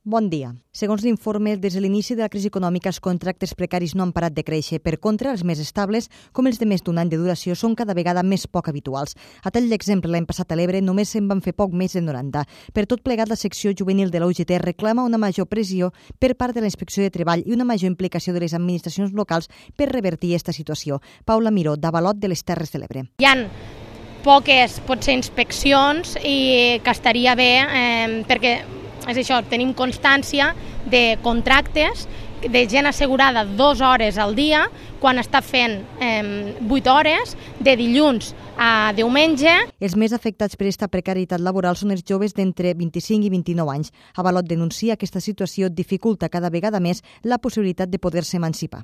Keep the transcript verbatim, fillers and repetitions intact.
Bon dia. Segons l'informe, des de l'inici de la crisi econòmica, els contractes precaris no han parat de créixer. Per contra, els més estables, com els de més d'un any de duració, són cada vegada més poc habituals. A tall d'exemple, l'any passat a l'Ebre només se'n van fer poc més de noranta. Per tot plegat, la secció juvenil de la U G T reclama una major pressió per part de la Inspecció de Treball i una major implicació de les administracions locals per revertir aquesta situació. Paula Miró, d'Avalot de les Terres de l'Ebre. Hi ha poques, potser, inspeccions i que estaria bé eh, perquè és això, tenim constància de contractes de gent assegurada dues hores al dia quan està fent eh, vuit hores de dilluns a diumenge. Els més afectats per aquesta precarietat laboral són els joves d'entre vint-i-cinc i vint-i-nou anys. Avalot denuncia que aquesta situació dificulta cada vegada més la possibilitat de poder-se emancipar.